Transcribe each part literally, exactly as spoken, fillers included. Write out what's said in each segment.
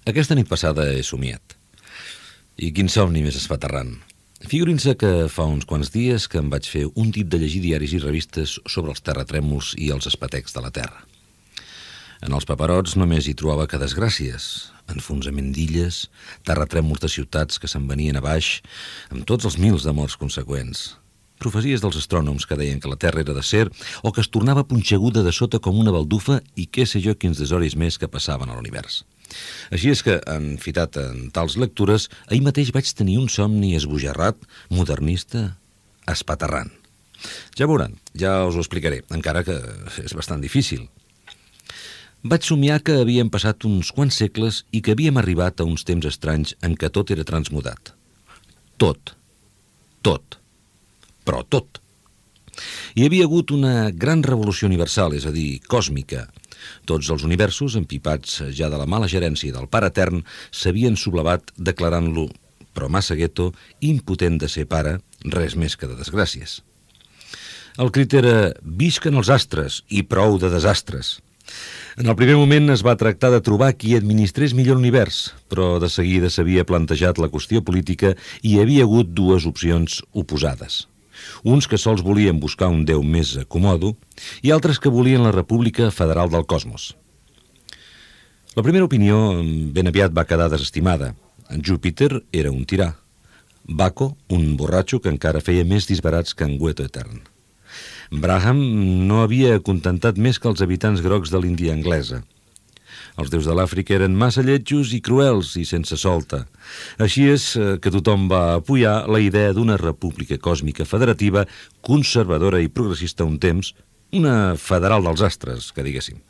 Aquesta nit passada he somiat. I quin somni més espaterrant. Figurin-se que fa uns quants dies que em vaig fer un tip de llegir diaris i revistes sobre els terratrèmols i els espatecs de la Terra. En els paperots només hi trobava que desgràcies, enfonsament d'illes, terratrèmols de ciutats que se'n venien a baix, amb tots els mils de morts conseqüents. Profecies dels astrònoms que deien que la Terra era d'acer o que es tornava punxeguda de sota com una baldufa i què sé jo quins desoris més que passaven a l'univers. Així és que, enfitat en tals lectures, ahir mateix vaig tenir un somni esbojarrat, modernista, espaterrant. Ja veuran, ja us ho explicaré, encara que és bastant difícil. Vaig somiar que havien passat uns quants segles i que havíem arribat a uns temps estranys en què tot era transmutat. Tot. Tot. Però tot. Hi havia hagut una gran revolució universal, és a dir, còsmica. Tots els universos, empipats ja de la mala gerència del Pare Etern, s'havien sublevat declarant-lo, però massa gueto, impotent de ser pare, res més que de desgràcies. El crit era «Visquen els astres» i prou de desastres. En el primer moment es va tractar de trobar qui administrés millor l'univers, però de seguida s'havia plantejat la qüestió política i hi havia hagut dues opcions oposades. Uns que sols volien buscar un déu més acomodo i altres que volien la República Federal del Cosmos. La primera opinió ben aviat va quedar desestimada. Júpiter era un tirà. Baco, un borratxo que encara feia més disbarats que en Gueto Etern. Braham no havia acontentat més que els habitants grocs de l'Índia anglesa. Els déus de l'Àfrica eren massa lletjos i cruels i sense solta. Així és que tothom va apoyar la idea d'una república còsmica federativa, conservadora i progressista un temps, una federal dels astres, que diguéssim.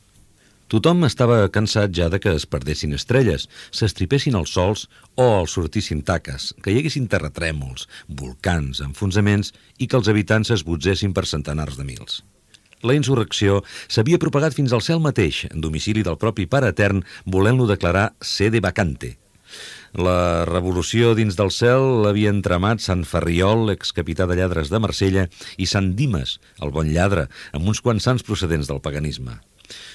Tothom estava cansat ja de que es perdessin estrelles, s'estripessin els sols o els sortissin taques, que hi haguessin terratrèmols, volcans, enfonsaments i que els habitants es botzessin per centenars de mils. La insurrecció s'havia propagat fins al cel mateix, en domicili del propi Pare Etern, volent-lo declarar sede vacante. La revolució dins del cel l'havien tramat Sant Ferriol, excapità de lladres de Marsella, i Sant Dimes, el bon lladre, amb uns quants sants procedents del paganisme.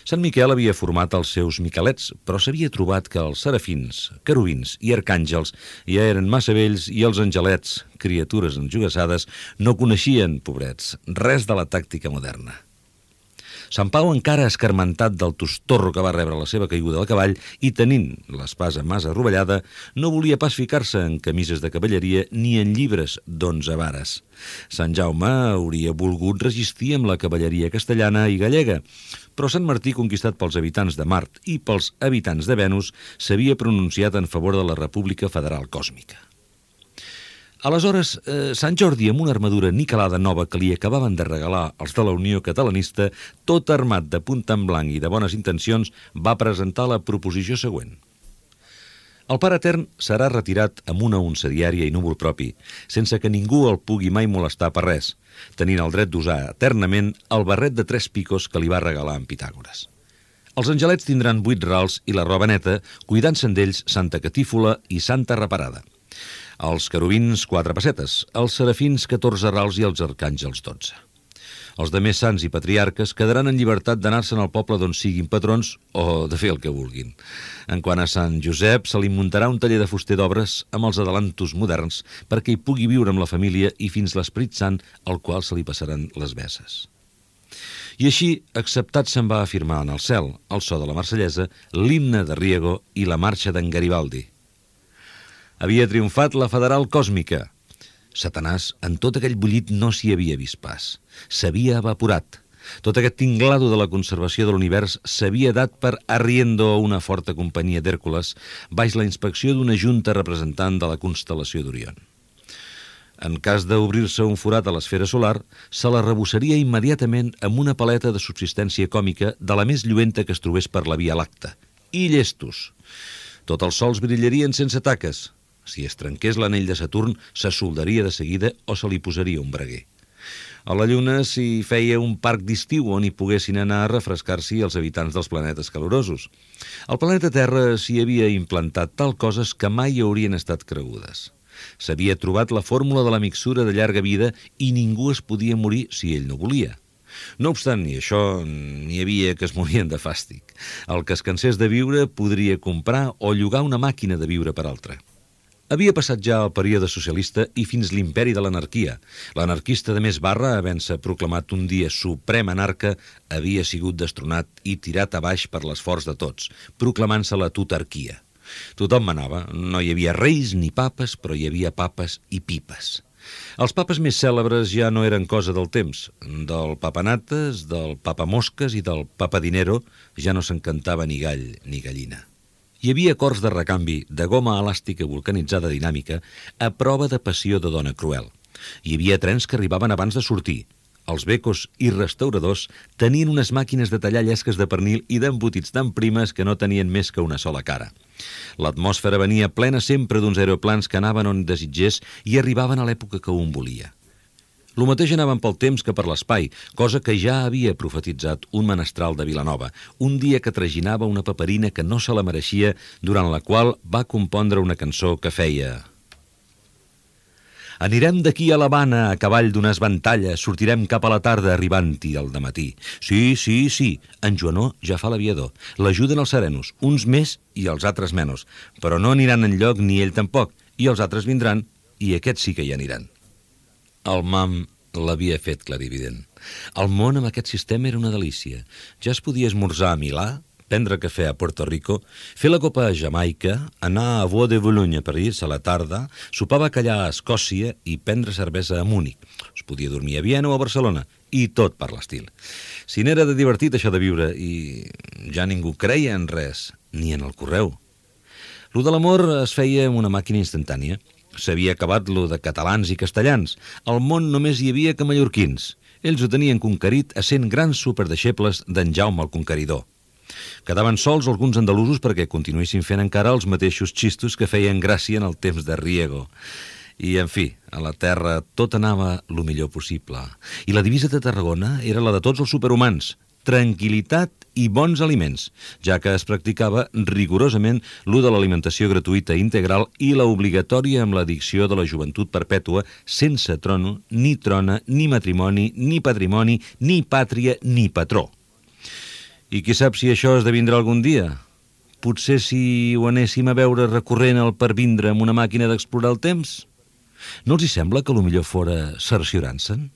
Sant Miquel havia format els seus miquelets, però s'havia trobat que els serafins, querubins i arcàngels ja eren massa vells i els angelets, criatures enjogassades, no coneixien, pobrets, res de la tàctica moderna. Sant Pau, encara escarmentat del tostorro que va rebre la seva caiguda del cavall i tenint l'espasa massa rovellada, no volia pas ficar-se en camises de cavalleria ni en llibres d'onze vares. Sant Jaume hauria volgut resistir amb la cavalleria castellana i gallega, però Sant Martí, conquistat pels habitants de Mart i pels habitants de Venus, s'havia pronunciat en favor de la República Federal Còsmica. Aleshores, eh, Sant Jordi, amb una armadura niquelada nova que li acabaven de regalar els de la Unió Catalanista, tot armat de punta en blanc i de bones intencions, va presentar la proposició següent. El Pare Etern serà retirat amb una unça diària i núvol propi, sense que ningú el pugui mai molestar per res, tenint el dret d'usar eternament el barret de tres picos que li va regalar en Pitàgores. Els angelets tindran vuit rals i la roba neta, cuidant-se'n d'ells Santa Catífola i Santa Reparada. Els querubins, quatre pessetes, els serafins, catorze rals i els arcàngels, dotze. Els demés sants i patriarques quedaran en llibertat d'anar-se'n al poble d'on siguin patrons o de fer el que vulguin. En quant a Sant Josep, se li muntarà un taller de fuster d'obres amb els adelantos moderns perquè hi pugui viure amb la família i fins l'Esperit Sant, al qual se li passaran les besses. I així, acceptat se'n va afirmar en el cel, el so de la Marsellesa, l'himne de Riego i la marxa d'en Garibaldi. Havia triomfat la Federal Còsmica. Satanàs, en tot aquell bullit, no s'hi havia vist pas. S'havia evaporat. Tot aquest tinglado de la conservació de l'univers s'havia dat per arriendo a una forta companyia d'Hèrcules baix la inspecció d'una junta representant de la constel·lació d'Orion. En cas d'obrir-se un forat a l'esfera solar, se la rebossaria immediatament amb una paleta de subsistència còmica de la més lluenta que es trobés per la Via Làctea. I llestos. Tots els sols brillarien sense taques. Si es trenqués l'anell de Saturn, se soldaria de seguida o se li posaria un braguer. A la Lluna s'hi feia un parc d'estiu on hi poguessin anar a refrescar-s'hi els habitants dels planetes calorosos. Al planeta Terra s'hi havia implantat tal coses que mai haurien estat cregudes. S'havia trobat la fórmula de la mixtura de llarga vida i ningú es podia morir si ell no volia. No obstant ni això, n'hi havia que es morien de fàstic. El que es cansés de viure podria comprar o llogar una màquina de viure per altra. Havia passat ja el període socialista i fins l'imperi de l'anarquia. L'anarquista de més barra, havent-se proclamat un dia suprem anarca, havia sigut destronat i tirat a baix per l'esforç de tots, proclamant-se la tutarquia. Tothom manava, no hi havia reis ni papes, però hi havia papes i pipes. Els papes més cèlebres ja no eren cosa del temps. Del papanates, del papamosques i del papadinero ja no se'n cantava ni gall ni gallina. Hi havia cors de recanvi, de goma elàstica vulcanitzada dinàmica, a prova de passió de dona cruel. Hi havia trens que arribaven abans de sortir. Els becos i restauradors tenien unes màquines de tallar llesques de pernil i d'embotits tan primes que no tenien més que una sola cara. L'atmosfera venia plena sempre d'uns aeroplans que anaven on desitgés i arribaven a l'època que un volia. Lo mateix anaven pel temps que per l'espai, cosa que ja havia profetitzat un menestral de Vilanova, un dia que traginava una paperina que no se la mereixia, durant la qual va compondre una cançó que feia: Anirem d'aquí a l'Havana a cavall d'una esvantalla, sortirem cap a la tarda arribant-hi al dematí. Sí, sí, sí, en Joanó ja fa l'aviador. L'ajuden els serenos, uns més i els altres menys, però no aniran enlloc ni ell tampoc, i els altres vindran i aquests sí que hi aniran. El mam l'havia fet clarivident. El món amb aquest sistema era una delícia. Ja es podia esmorzar a Milà, prendre cafè a Puerto Rico, fer la copa a Jamaica, anar a Bois de Boulogne a París a la tarda, sopar bacallà a Escòcia i prendre cervesa a Múnich. Es podia dormir a Viena o a Barcelona, i tot per l'estil. Si n'era de divertit això de viure, i ja ningú creia en res, ni en el correu. Lo de l'amor es feia amb una màquina instantània. S'havia acabat lo de catalans i castellans. Al món només hi havia que mallorquins. Ells ho tenien conquerit a cent grans superdeixebles d'en Jaume el Conqueridor. Quedaven sols alguns andalusos perquè continuessin fent encara els mateixos xistos que feien gràcia en el temps de Riego. I, en fi, a la Terra tot anava lo millor possible. I la divisa de Tarragona era la de tots els superhumans: tranquil·litat i bons aliments, ja que es practicava rigorosament l'ú de l'alimentació gratuïta integral i la obligatòria amb l'addicció de la joventut perpètua, sense trono, ni trona, ni matrimoni, ni patrimoni, ni pàtria, ni patró. I qui sap si això esdevindrà algun dia? Potser si ho anéssim a veure recorrent al pervindre amb una màquina d'explorar el temps? No els hi sembla que lo millor fora cerciorar-se'n?